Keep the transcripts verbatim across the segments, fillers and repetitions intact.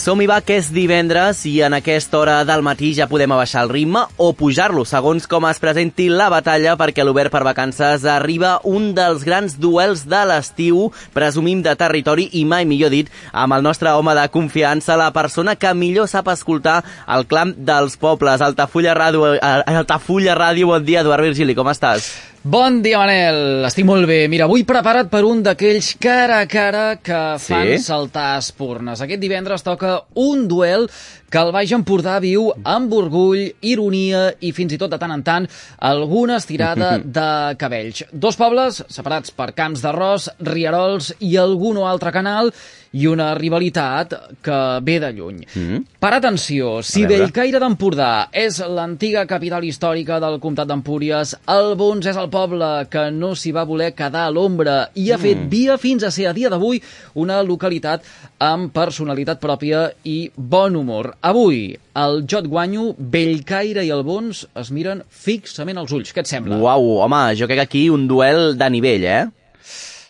Som-hi va, que és divendres i en aquesta hora del matí ja podem abaixar el ritme o pujar-lo, segons com es presenti la batalla, perquè a l'Obert per Vacances arriba un dels grans duels de l'estiu, presumim de territori i mai millor dit, amb el nostre home de confiança, la persona que millor sap escoltar el clam dels pobles. Altafulla Ràdio, Altafulla Ràdio, bon dia, Eduard Virgili, com estàs? Bon dia, Manel. Estic molt bé. Mira, avui preparat per un d'aquells cara a cara que fan sí? saltar espurnes. Aquest divendres toca un duel que el Baix Empordà viu amb orgull, ironia i fins i tot de tant en tant alguna estirada de cabells. Dos pobles separats per camps d'arròs, rierols i algun o altre canal i una rivalitat que ve de lluny. Mm-hmm. Per atenció, si Bellcaire d'Empordà és l'antiga capital històrica del comtat d'Empúries, Albons és el poble que no s'hi va voler quedar a l'ombra i ha fet via fins a ser a dia d'avui una localitat amb personalitat pròpia i bon humor. Avui, el Jo et guanyo, Bellcaire i Albons es miren fixament als ulls. Què et sembla? Uau, home, jo crec que aquí un duel de nivell, eh?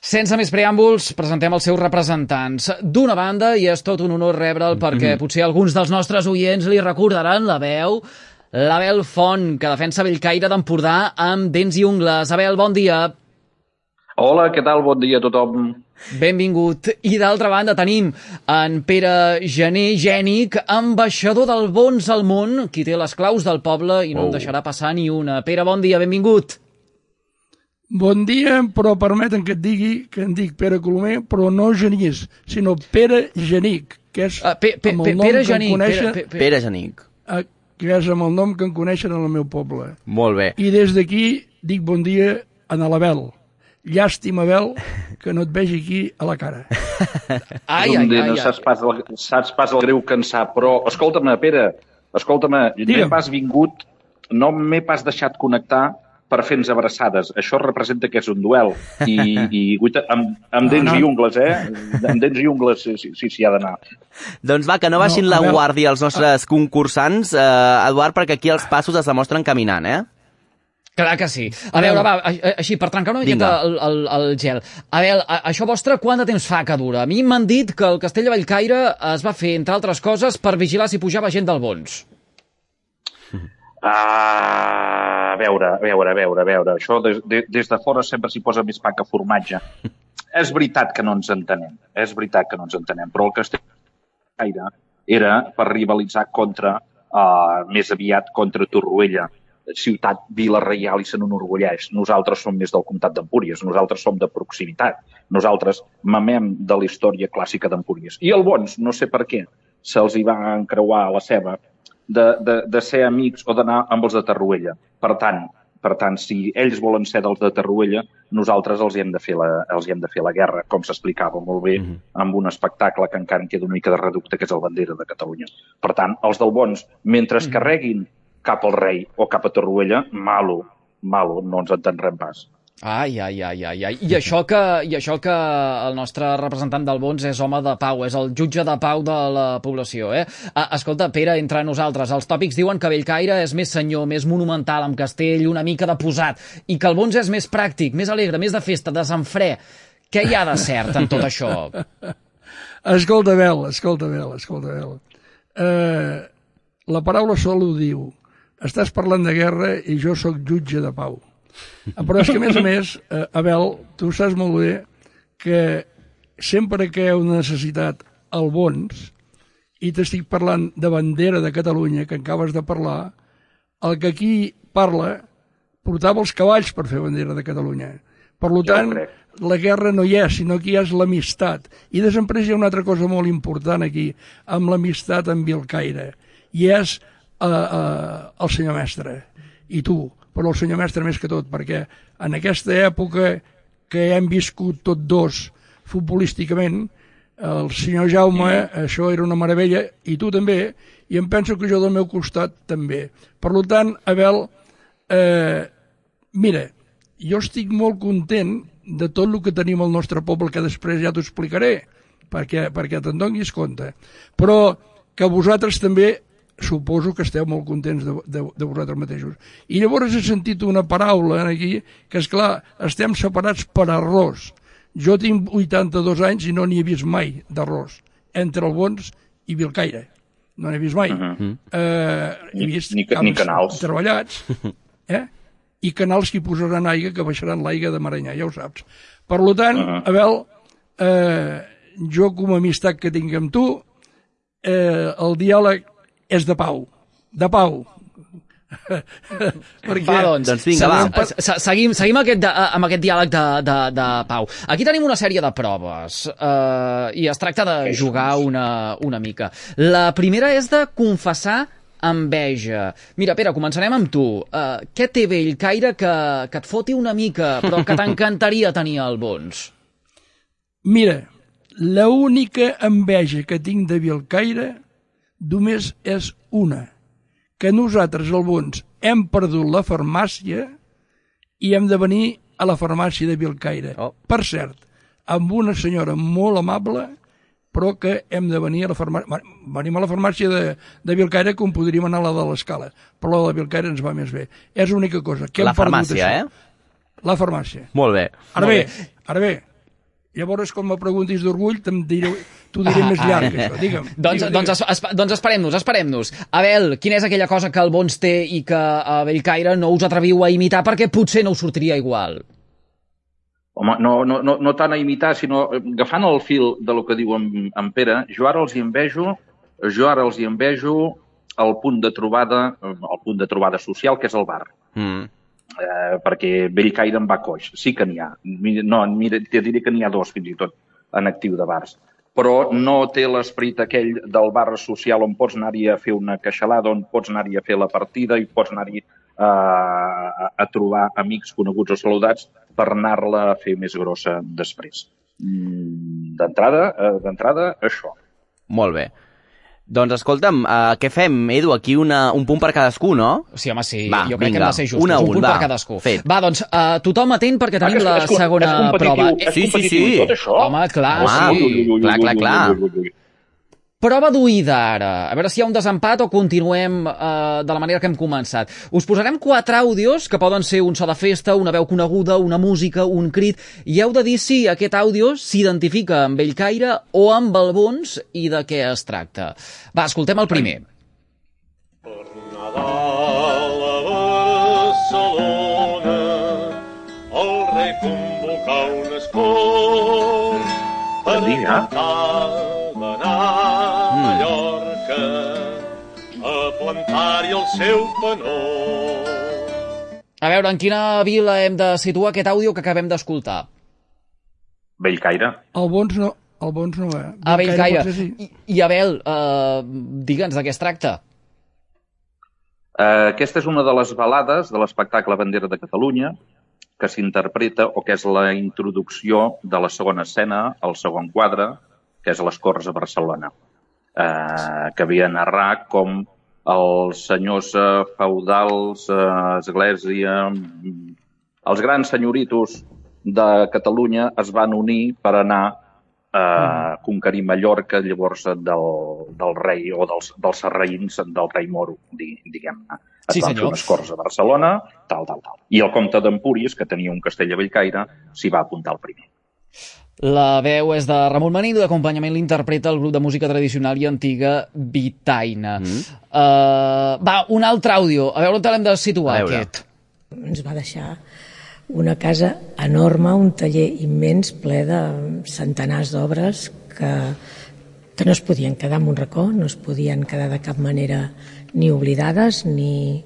Sense més preàmbuls, presentem els seus representants. D'una banda, i és tot un honor rebre'l perquè potser alguns dels nostres oients li recordaran la veu, l'Abel Font, que defensa Bellcaire d'Empordà amb dents i ungles. Abel, bon dia. Hola, què tal? Bon dia a tothom. Benvingut. I d'altra banda tenim en Pere Gené Gènic, ambaixador del Bons al món, qui té les claus del poble i no oh. en deixarà passar ni una. Pere, bon dia, benvingut. Bon dia, però permeten que et digui que em dic Pere Colomer, però no Genís, sinó Pere Genic, que és uh, pe, pe, amb el nom Pere que Genic, em coneixen... Pere, Pere. Pere Genic. Uh, que és amb el nom que em coneixen en el meu poble. Molt bé. I des d'aquí dic bon dia a l'Abel. Llàstima, Abel, que no et vegi aquí a la cara. Ai, ai, ai, ai. No saps pas, el, saps pas el greu cansar, però escolta'm, Pere, escolta'm, m'he pas vingut, no m'he pas deixat connectar per fer-nos abraçades. Això representa que és un duel. I, i guita, amb, amb dents no, no. i ungles, eh? Amb dents i ungles, sí, sí, sí, sí ha d'anar. Doncs va, que no baixin no, la guàrdia els nostres concursants, eh, Eduard, perquè aquí els passos es demostren caminant, eh? Clar que sí. A veure, va, així, per trencar una miqueta el, el, el gel. A veure, això vostre, quant de temps fa que dura? A mi m'han dit que el castell de Bellcaire es va fer, entre altres coses, per vigilar si pujava gent del Bons. Ah, a veure, a veure, a veure, a veure. Això des de, des de fora sempre s'hi posa més pa que formatge. És veritat que no ens entenem, és veritat que no ens entenem, però el castell de Bellcaire era per rivalitzar contra, uh, més aviat contra Torroella, ciutat Vila Reial i se n'enorgulleix. Nosaltres som més del comtat d'Empúries, nosaltres som de proximitat, nosaltres mamem de la història clàssica d'Empúries. I el Bons, no sé per què, se'ls hi va encreuar la ceba de, de, de ser amics o d'anar amb els de Torroella. Per tant, per tant, si ells volen ser dels de Torroella, nosaltres els hi hem de fer la, els hi hem de fer la guerra, com s'explicava molt bé, mm-hmm. amb un espectacle que encara en queda una mica de reducte, que és el Bandera de Catalunya. Per tant, els del Bons, mentre es carreguin cap al rei o cap a Torroella, malo, malo, no ens entendrem pas. Ai, ai, ai, ai, ai. I això que, i això que el nostre representant del Bons és home de pau, és el jutge de pau de la població, eh? Escolta, Pere, entre nosaltres, els tòpics diuen que Bellcaire és més senyor, més monumental, amb castell, una mica de posat, i que el Bons és més pràctic, més alegre, més de festa, desenfrè. Què hi ha de cert en tot això? Escolta, Abel, escolta, Abel, escolta, Abel. Uh, la paraula sol ho diu. Estàs parlant de guerra i jo sóc jutge de pau. Però és que, a més a més, eh, Abel, tu saps molt bé que sempre que hi ha una necessitat al Bons, i t'estic parlant de Bandera de Catalunya, que acabes de parlar, el que aquí parla portava els cavalls per fer Bandera de Catalunya. Per tant, la guerra no hi és, sinó que hi és l'amistat. I després hi ha una altra cosa molt important aquí, amb l'amistat amb Bellcaire, i és Uh, uh, el senyor mestre i tu, però el senyor mestre més que tot, perquè en aquesta època que hem viscut tots dos futbolísticament, el senyor Jaume, això era una meravella, i tu també, i em penso que jo del meu costat també. Per tant, Abel, eh, mira, jo estic molt content de tot el que tenim al nostre poble, que després ja t'ho explicaré, perquè, perquè te'n donis compte, però que vosaltres també suposo que esteu molt contents de, de, de vosaltres mateixos. I llavors he sentit una paraula aquí, que és clar, estem separats per arròs. Jo tinc vuitanta-dos anys i no n'hi he vist mai d'arròs, entre el Bons i Vilcaire. No n'he vist mai. Uh -huh. eh, he vist ni, ni, ni canals. treballats, eh? I canals que hi posaran aigua, que baixaran l'aigua de Maranyà, ja ho saps. Per tant, uh -huh. Abel, eh, jo com a amistat que tinc amb tu, eh, el diàleg és de pau. De pau. Perquè, va, doncs, doncs vinga, va. Seguim, seguim aquest de, amb aquest diàleg de, de, de pau. Aquí tenim una sèrie de proves eh, i es tracta de jugar una, una mica. La primera és de confessar enveja. Mira, Pere, començarem amb tu. Uh, què té Bellcaire que, que et foti una mica, però que t'encantaria tenir al Bons? Mira, l'única enveja que tinc de Bellcaire només és una, que nosaltres, al Bons, hem perdut la farmàcia i hem de venir a la farmàcia de Bellcaire. Oh. Per cert, amb una senyora molt amable, però que hem de venir a la farmàcia... Venim a la farmàcia de, de Bellcaire com podríem anar a la de l'Escala, però la de Bellcaire ens va més bé. És l'única cosa. Que la farmàcia, eh? La farmàcia. Molt bé. Ara Molt bé, bé, ara bé, llavors quan me preguntis d'orgull t'ho diré, diré ah, més llarg, ah. això. Digue'm. Doncs, digue'm, doncs, es, doncs esperem-nos, esperem-nos. Abel, quina és aquella cosa que el Bons té i que a Bellcaire no us atreviu a imitar perquè potser no us sortiria igual? Home, no, no, no, no tant a imitar, sinó agafant el fil de lo que diu en, en Pere, jo ara els hi envejo, jo ara els hi envejo el punt de trobada, el punt de trobada social, que és el bar. Mm. Eh, perquè Bellcaire en va coix. Sí que n'hi ha. No, mira, te diré que n'hi ha dos, fins i tot, en actiu de bars. Però no té l'esperit aquell del bar social on pots anar-hi a fer una queixalada, on pots anar-hi a fer la partida i pots anar-hi a, a trobar amics coneguts o saludats per anar-la a fer més grossa després. D'entrada, d'entrada, això. Molt bé. Doncs escolta'm, uh, què fem, Edu? Aquí una, un punt per cadascú, no? Sí, home, sí. Va, jo crec vinga, que hem de ser justos. una, un, un punt va, per cadascú. Fet. Va, doncs, uh, tothom atent perquè tenim ah, la és, és, segona és prova. És sí, sí, sí. Tot això? Home, clar, home, sí. Clar, clar, clar. Prova d'oïda, ara. A veure si hi ha un desempat o continuem uh, de la manera que hem començat. Us posarem quatre àudios, que poden ser un so de festa, una veu coneguda, una música, un crit, i heu de dir si aquest àudio s'identifica amb Bellcaire o amb el Bons i de què es tracta. Va, escoltem el primer. Per Nadal a Barcelona el rei convocà un escó per cantar d'anar a Mallorca a plantar-hi el seu panó. A veure, en quina vila hem de situar aquest àudio que acabem d'escoltar? Bellcaire. El Bons no, el Bons no, eh? A Bellcaire. Sí. I, I Abel, uh, digue'ns de què es tracta. Uh, aquesta és una de les balades de l'espectacle Bandera de Catalunya que s'interpreta, o que és la introducció de la segona escena, el segon quadre, que és a les Corts a Barcelona, uh, que havia de narrar com els senyors uh, feudals, uh, església, els grans senyoritos de Catalunya es van unir per anar a conquerir Mallorca, llavors del, del rei o dels, dels sarraïns del rei Moro, diguem-ne. Es sí, van senyor. fer unes corts a Barcelona, tal, tal, tal. I el comte d'Empúries, que tenia un castell a Bellcaire, s'hi va apuntar el primer. La veu és de Ramon Manín i d'acompanyament l'interpreta el grup de música tradicional i antiga Vitaina. Mm. Uh, va, un altre àudio. A veure on l'hem de situar, aquest. Ens va deixar una casa enorme, un taller immens ple de centenars d'obres que, que no es podien quedar en un racó, no es podien quedar de cap manera ni oblidades ni,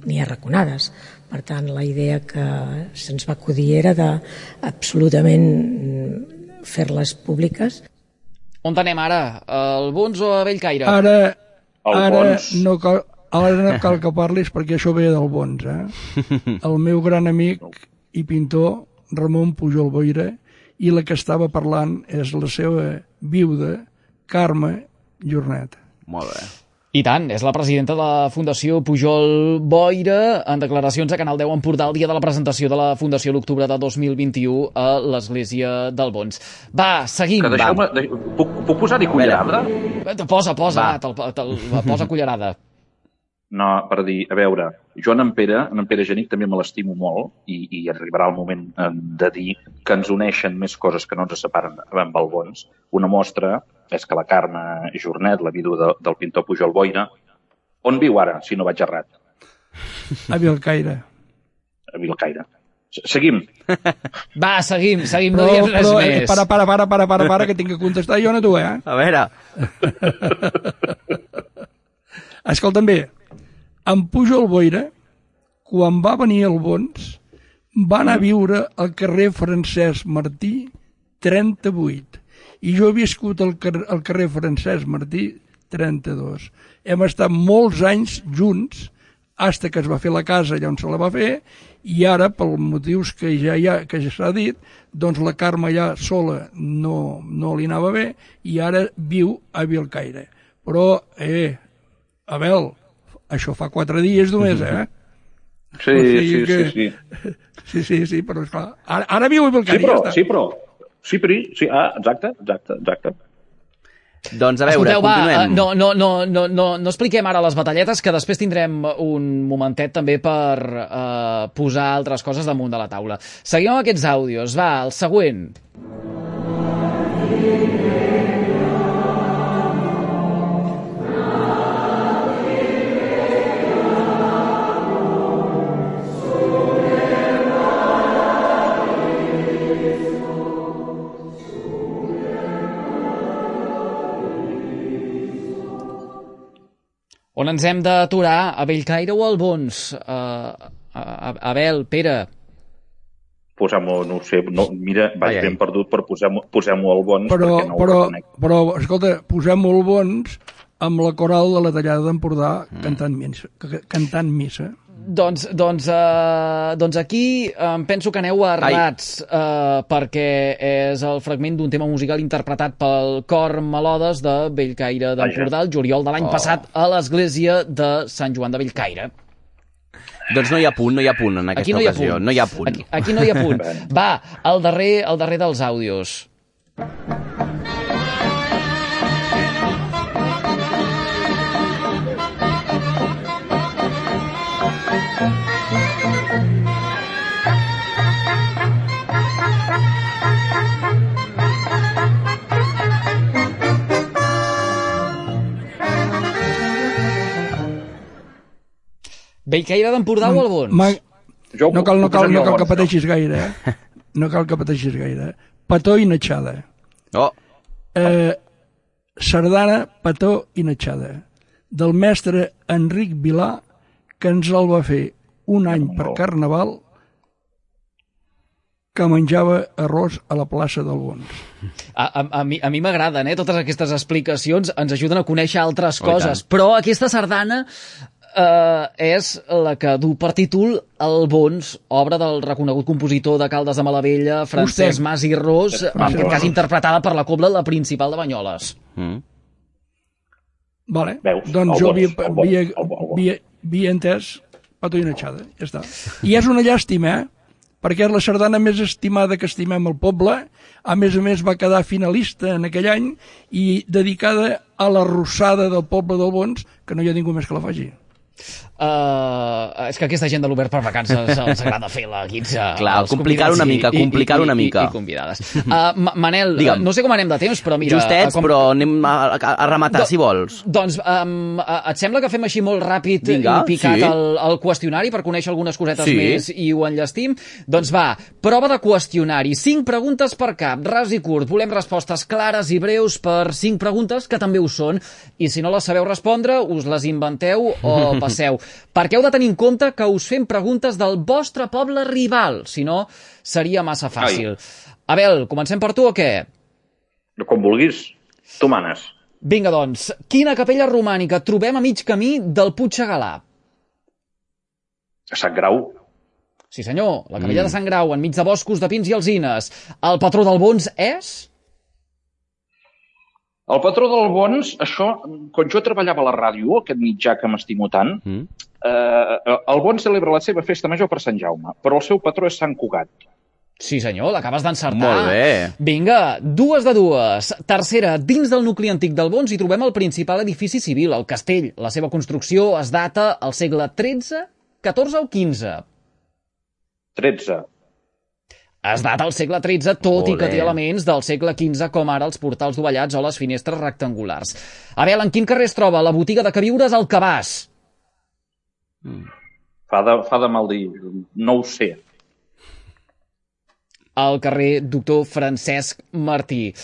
ni arraconades. Per tant, la idea que se'ns va acudir era de absolutament fer-les públiques. On anem ara? Al Bons o a Bellcaire? Ara, ara no cal, ara no cal que parlis perquè això ve del Bons, eh? El meu gran amic i pintor Ramon Pujol Boira, i la que estava parlant és la seva viuda, Carme Jornet. Molt bé. I tant, és la presidenta de la Fundació Pujol Boira, en declaracions a Canal deu Empordà el dia de la presentació de la Fundació l'octubre de dos mil vint-i-u a l'Església del Bons. Va, seguim. Que deixeu-me... De... Puc, puc posar-hi cullerada? Posa, posa, va, te'l, te'l, posa cullerada. No, per dir, a veure, jo en Pere, en Pere Genic també me l'estimo molt i, i arribarà el moment de dir que ens uneixen més coses que no ens separen amb el Bons. Una mostra és que la Carme Jornet, la vídua de, del pintor Pujol Boira, on viu ara, si no vaig errat? A Vilcaire. A Vilcaire. Seguim. Va, seguim, seguim, no Però, diem res però, eh, més. para, para, para, para, para, para, que tinc que contestar jo, no tu, eh? A veure, Escolta'm bé, en Pujol Boira, quan va venir al Bons, va anar a viure al carrer Francesc Martí trenta-vuit. I jo he viscut al carrer, al carrer Francesc Martí trenta-dos. Hem estat molts anys junts, fins que es va fer la casa allà on se la va fer, i ara, pels motius que ja hi ha, que ja s'ha dit, doncs la Carme ja sola no, no li anava bé, i ara viu a Vilcaire. Però, eh, Abel, això fa quatre dies només, eh? Sí, O sigui sí, que- sí, sí. Sí, sí, sí, però esclar, ara, ara viu a Sí, Vilcaire, però, ja està. sí, però, sí, però, sí, ah, exacte, exacte, exacte. doncs a veure, Escolteu, va, eh, continuem. no, no, no, no, no, no expliquem ara les batalletes, que després tindrem un momentet també per eh, posar altres coses damunt de la taula. Seguim amb aquests àudios. Va, el següent. On ens hem d'aturar? A Bellcaire o al Bons? Uh, a, a, Abel, Pere... Posem-ho, no ho sé, no, mira, vaig Ai, ai. ben perdut, però posem-ho posem al Bons Però, perquè no però, ho reconec. però, escolta, posem molt bons amb la coral de la Tallada d'Empordà cantant missa. ca- Cantant missa. Doncs, doncs, uh, doncs aquí em penso que aneu errats, uh, perquè és el fragment d'un tema musical interpretat pel cor Melodes de Bellcaire d'Empordà, el juliol de l'any Oh. passat, a l'església de Sant Joan de Bellcaire. Doncs no hi ha punt, no hi ha punt en aquesta Aquí no hi ha ocasió. punt. No hi ha punt. Aquí, aquí no hi ha punt. Va, el darrer, el darrer dels àudios. Bellcaire d'Empordà o el Bons? Ma... Jo No cal, no cal, posaria no cal al que Bons, pateixis gaire, eh? No cal que pateixis gaire. Petó i natxada. Oh, Eh, sardana, petó i natxada. Del mestre Enric Vilà, que ens el va fer un any per Carnaval, que menjava arròs a la plaça del Bons. A, a, a mi a mi m'agraden, eh? Totes aquestes explicacions ens ajuden a conèixer altres Oh, i coses, tant. però aquesta sardana eh, és la que du per títol El Bons, obra del reconegut compositor de Caldes de Malavella, Francesc Vostè. Mas i Ros, en Mas i aquest cas Ros. interpretada per la Cobla La Principal de Banyoles. mm. Vale. Veus? Doncs El jo Bons, havia, el Bons, havia, el Bons, el Bons. havia, havia entès petó i natxada. Ja està. I és una llàstima, eh? Perquè és la sardana més estimada que estimem al poble. A més a més va quedar finalista en aquell any i dedicada a la rossada del poble del Bons, que no hi ha ningú més que la faci. Uh, és que aquesta gent de l'Obert per Vacances els agrada fer la guitza. Clar, als complicar-ho convidats una i- mica, i- i- complicar-ho una i- i- mica. I convidades. Uh, Ma- Manel, Digue'm. no sé com anem de temps, però mira... Justets, uh, com... però anem a, a, a rematar, Do- si vols. Doncs um, et sembla que fem així molt ràpid Vinga, i picat sí. el, el qüestionari per conèixer algunes cosetes Sí. més i ho enllestim? Doncs va, prova de qüestionari. Cinc preguntes per cap, ras i curt. Volem respostes clares i breus per cinc preguntes, que també ho són. I si no les sabeu respondre, us les inventeu o passeu. Perquè heu de tenir en compte que us fem preguntes del vostre poble rival, si no seria massa fàcil. Abel, comencem per tu o què? Com vulguis, tu manes. Vinga, doncs, quina capella romànica trobem a mig camí del Puig Segalà? A Sant Grau, Sí, senyor, la capella mm. de Sant Grau, enmig de boscos de pins i alzines. El patró del Bons és? el patró del Bons, això, quan jo treballava a la ràdio, aquest mitjà que m'estimo tant, Mm. eh, el Bons celebra la seva festa major per Sant Jaume, però el seu patró és Sant Cugat. Sí, senyor, l'acabes d'encertar. Molt bé. Vinga, dues de dues. Tercera, dins del nucli antic del Bons hi trobem el principal edifici civil, el castell. La seva construcció es data al segle tretze, catorze o quinze. tretze. Es data al segle tretze, tot Olé. i que té elements del segle quinze, com ara els portals dovellats o les finestres rectangulars. Abel, en quin carrer es troba la botiga de queviures al Cabàs? Fa de, fa de mal dir, no ho sé. Al carrer Doctor Francesc Martí.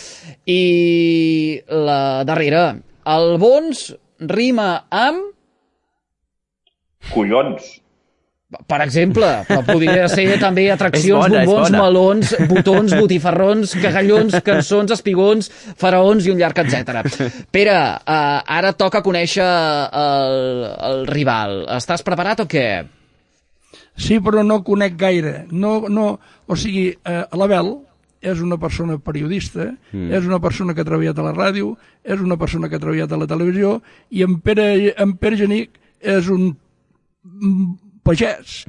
I la darrera, el Bons rima amb... Collons. Per exemple, però podria ser també atraccions, És bona, és bombons, bona. melons, botons, botifarrons, cagallons, cançons, espigons, faraons i un llarg etcètera. Pere, uh, ara toca conèixer el, el rival. Estàs preparat o què? Sí, però no conec gaire. No, no, o sigui, eh, l'Abel és una persona periodista, mm. és una persona que ha treballat a la ràdio, és una persona que ha treballat a la televisió, i en Pere, en Pere Genic és un pagès,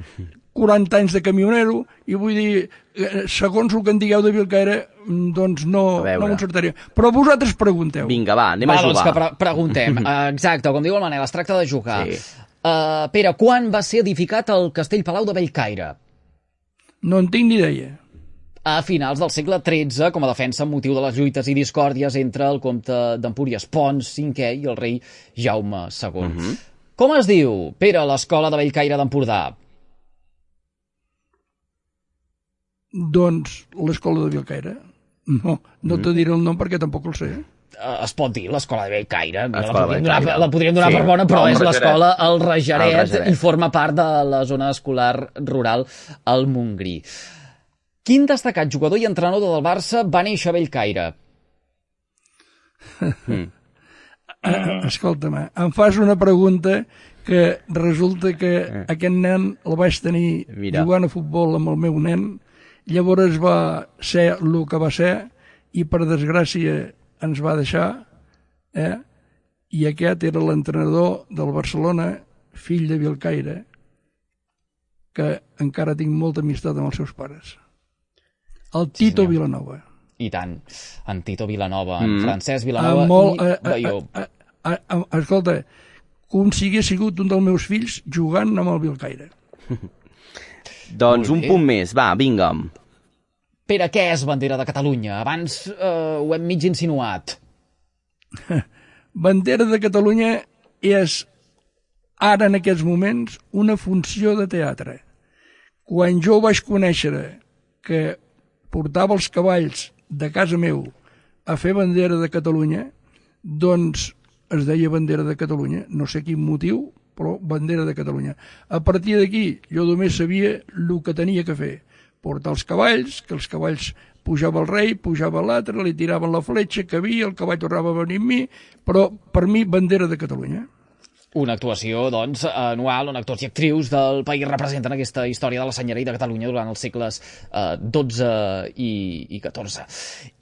quaranta anys de camionero, i vull dir, segons el que en digueu de Vilcaire, doncs no, no m'encertaria. Però vosaltres pregunteu. Vinga, va, anem va, a jugar. Doncs que pre preguntem. Exacte, com diu el Manel, es tracta de jugar. Sí. Uh, Pere, quan va ser edificat el Castell Palau de Bellcaire? No en tinc ni idea. A finals del segle tretze, com a defensa amb motiu de les lluites i discòrdies entre el comte d'Empúries Pons cinquè i el rei Jaume segon. Uh -huh. Com es diu, Pere, l'escola de Bellcaire d'Empordà? Doncs l'escola de Vilcaire. No, no mm. te diré el nom perquè tampoc el sé. Uh, es pot dir l'escola de Bellcaire. La podríem donar, donar, la podríem donar sí. per bona, però No, és l'escola El El Reixaret. i forma part de la zona escolar rural al Montgrí. Quin destacat jugador i entrenador del Barça va néixer a Bellcaire? Mm. Uh, escolta'm, em fas una pregunta que resulta que eh. aquest nen el vaig tenir Mira. jugant a futbol amb el meu nen, llavors va ser el que va ser i per desgràcia ens va deixar, eh? I aquest era l'entrenador del Barcelona, fill de Vilcaire, que encara tinc molta amistat amb els seus pares. El Tito sí, Vilanova. I tant. En Tito Vilanova, en mm. Francesc Vilanova molt, i eh, Baió. Eh, eh, eh, escolta, com si hagués sigut un dels meus fills jugant amb el Vilcaire. Doncs un punt més, va, vinga'm. Pere, què és bandera de Catalunya? Abans eh, ho hem mig insinuat. Bandera de Catalunya és, ara en aquests moments, una funció de teatre. Quan jo vaig conèixer que portava els cavalls de casa meu a fer bandera de Catalunya, doncs es deia bandera de Catalunya, no sé quin motiu, però bandera de Catalunya. A partir d'aquí jo només sabia el que tenia que fer, portar els cavalls, que els cavalls pujava el rei, pujava l'altre, li tiraven la fletxa, que havia, el cavall tornava a venir amb mi, però per mi bandera de Catalunya. Una actuació, doncs, anual on actors i actrius del país representen aquesta història de la senyeria de Catalunya durant els segles eh, dotze i, i catorze.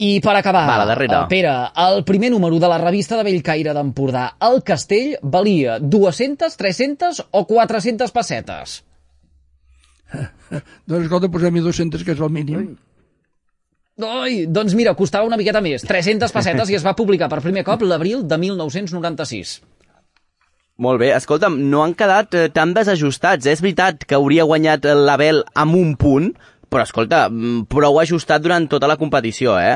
I per acabar, Va, la darrera. eh, Pere, el primer número de la revista de Bellcaire d'Empordà, El Castell, valia dues-centes, tres-centes o quatre-centes pessetes? Doncs escolta, posem-hi dues-centes, que és el mínim. Oi, doncs mira, costava una miqueta més, tres-centes pessetes, i es va publicar per primer cop l'abril de mil nou-cents noranta-sis. Molt bé, escolta'm, no han quedat eh, tan desajustats. És veritat que hauria guanyat l'Abel amb un punt, però, escolta, prou ajustat durant tota la competició, eh?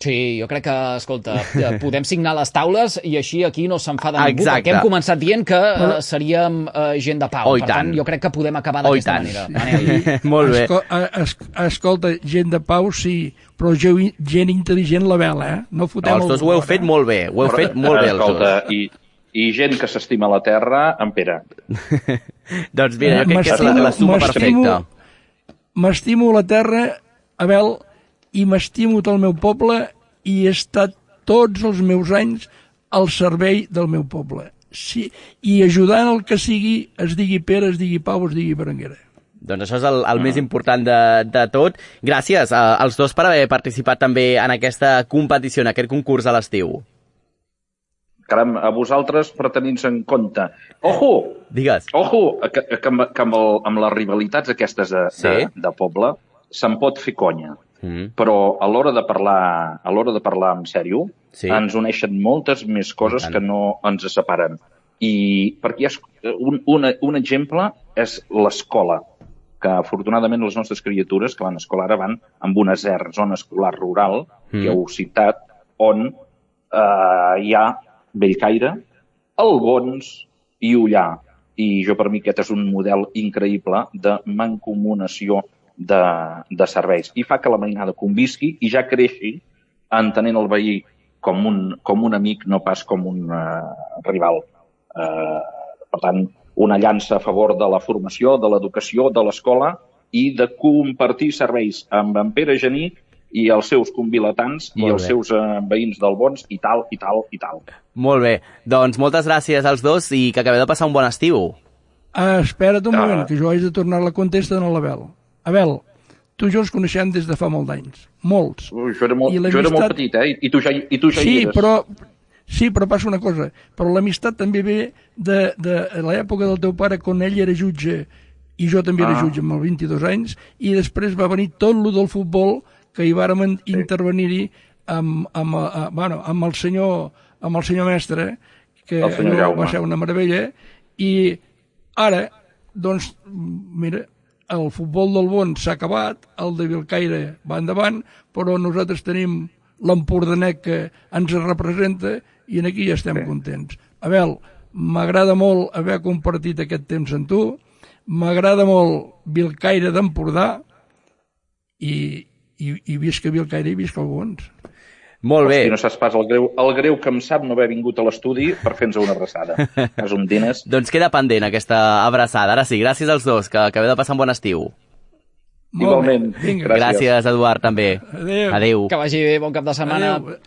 Sí, jo crec que, escolta, podem signar les taules i així aquí no s'enfada ningú, Exacte. perquè hem començat dient que uh, seríem uh, gent de pau. Oh, per tant, jo crec que podem acabar d'aquesta manera. Manel. Molt bé. Esco es escolta, gent de pau sí, però gent intel·ligent la vela, eh? No fotem els dos ho heu fet molt bé, ho heu fet molt bé els dos. Escolta, i, i gent que s'estima la terra, en Pere. Doncs mira, jo crec que és la, la suma perfecta. M'estimo la terra, Abel, i m'estimo tot el meu poble i he estat tots els meus anys al servei del meu poble. Sí, i ajudant el que sigui, es digui Pere, es digui Pau, es digui Berenguera. Doncs això és el, el més important de, de tot. Gràcies a, als dos per haver participat també en aquesta competició, en aquest concurs a l'estiu. Caram, a vosaltres per tenir-nos en compte. Ojo! Digues. Ojo, que, que, amb, que amb, el, amb les rivalitats aquestes de, sí? de, de poble se'n pot fer conya. Mm. Però a l'hora de parlar a l'hora de parlar en sèrio, sí. ens uneixen moltes més coses que no ens separen. I perquè hi ha un, un, un exemple és l'escola. que afortunadament les nostres criatures que van a escola ara van amb una Z E R, zona escolar rural, mm. que heu citat, on eh, hi ha Bellcaire, Albons i Ullà. I jo, per mi, aquest és un model increïble de mancomunació de, de serveis. I fa que la mainada convisqui i ja creixi entenent el veí com un, com un amic, no pas com un uh, rival. Uh, per tant, una llança a favor de la formació, de l'educació, de l'escola i de compartir serveis amb en Pere Gení i els seus convilatants i els seus uh, veïns d'Albons i tal, i tal, i tal. Molt bé. Doncs moltes gràcies als dos i que acabeu de passar un bon estiu. Ah, espera't un moment, que jo haig de tornar la contesta a l'Abel. Abel, tu i jo ens coneixem des de fa molt d'anys. Molts. Ui, jo, era molt, jo era molt petit, eh? I tu ja, i tu ja sí, hi eres. Però, sí, però passa una cosa. Però l'amistat també ve de, de l'època del teu pare, quan ell era jutge i jo també era ah. jutge amb els vint-i-dos anys, i després va venir tot lo del futbol que hi vàrem sí. intervenir-hi amb, amb, a, bueno, amb, el senyor, amb el senyor mestre, que va ser una meravella, i ara, doncs, mira, el futbol del Bon s'ha acabat, el de Bellcaire va endavant, però nosaltres tenim l'Empordanet que ens representa i en aquí ja estem sí. contents. Abel, m'agrada molt haver compartit aquest temps amb tu, m'agrada molt Bellcaire d'Empordà i, i, i visca Bellcaire i visca el Bons. Molt bé. Hosti, no saps pas el greu, el greu que em sap no haver vingut a l'estudi per fer-nos una abraçada. És un diners. Doncs queda pendent aquesta abraçada. Ara sí, gràcies als dos, que acabeu de passar un bon estiu. Igualment. Gràcies. Gràcies, Eduard, també. Adéu. Adéu. Que vagi bé, bon cap de setmana. Adéu.